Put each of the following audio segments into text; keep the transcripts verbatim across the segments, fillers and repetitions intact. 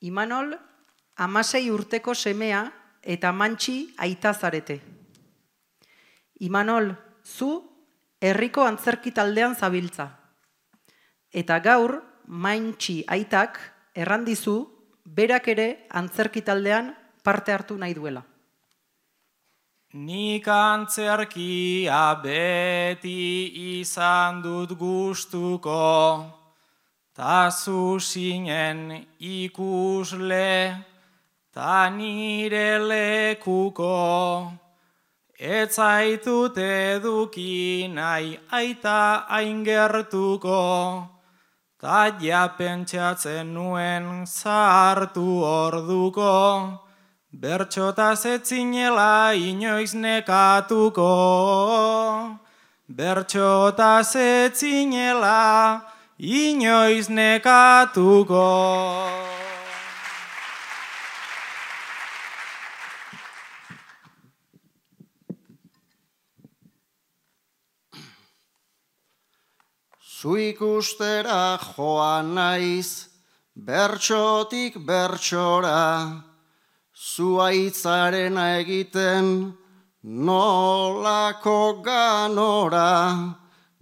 Imanol, hamasei urteko semea eta Mantxi aita zarete. Imanol, zu herriko antzerki taldean zabiltza. Eta gaur, Mantxi aitak errandizu berak ere antzerki taldean parte hartu nahi duela. Nik antzerkia beti izan dut gustuko, ta zu zinen ikusle, ta nire lekuko. Ez zaitut eduki nahi aita hain gertuko, ta ja pentsatzen nuen zahartu orduko, bertxotaz ez zinela inoiz nekatuko. Bertxotaz ez zinela inoiz nekatuko. Zu ikustera joan naiz, bertxotik bertxora, zu aitzarena egiten nolako ganora,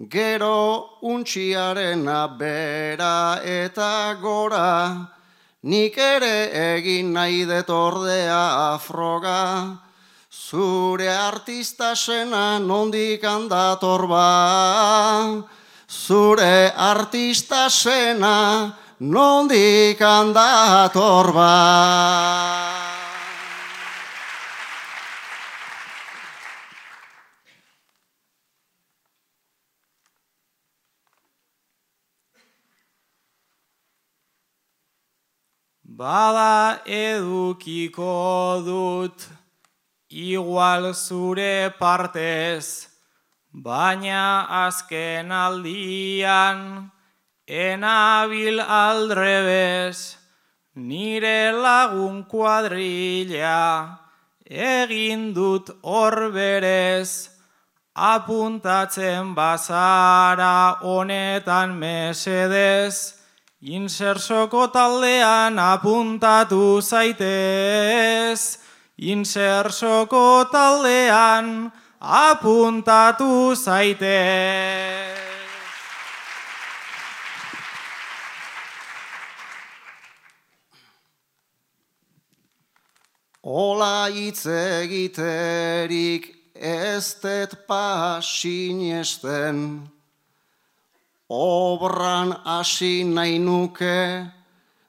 gero untxiarena bera eta gora, nik ere egin nahi dut ordea afroga, zure artista sena nondik handator ba, zure artista sena nondik handator ba. Bada edukiko dut, igual zure partez, baina azken aldian, enabil aldrebez, nire lagun kuadrilla, egin dut hor berez, apuntatzen bazara honetan mesedez, insersoko taldean apuntatu zaitez, insersoko taldean apuntatu zaitez. Ola hitz egiterik ez dut pasinesten, obran hasi nahi nuke,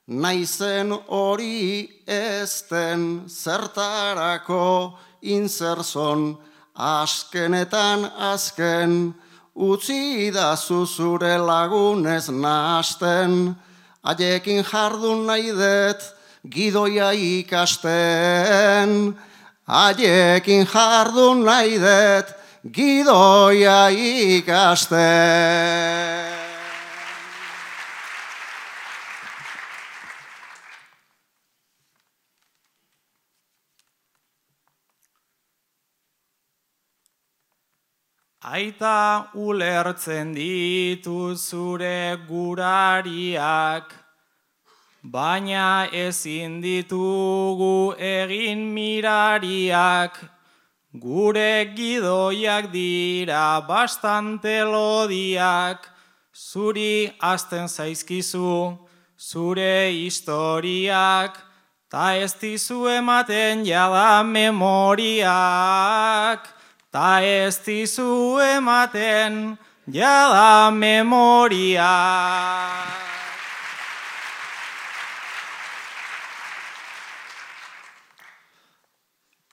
naizen hori ezten, zertarako inserzon, azkenetan azken, utzi da zure lagunez nahasten, haiekin jardun nahi dut, gidoia ikasten, haiekin jardun nahi dut, gidoia ikasten. Aita ulertzen ditu zure gurariak, baina ezin ditugu egin mirariak, gure gidoiak dira bastante lodiak, zuri azten zaizkizu zure historiak, ta ez dizu ematen jada memoriak, ta ez dizu ematen jada memoriak.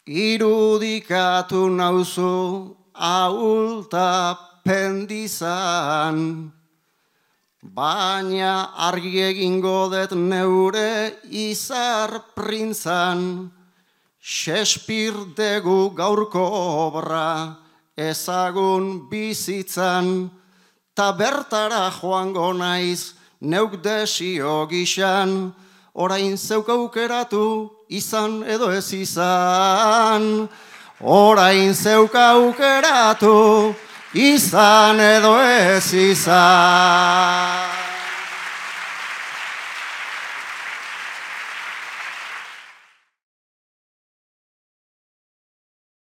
Irudikatu nauzu ahulta pendizan, baina argi egingo dut neure izar printzan, Shakespeare degu gaurko obra ezagun bizitzan, ta bertara joango naiz neuk desio gixan, orain zeuk aukeratu izan edo ez izan, orain zeuk aukeratu izan edo ez izan.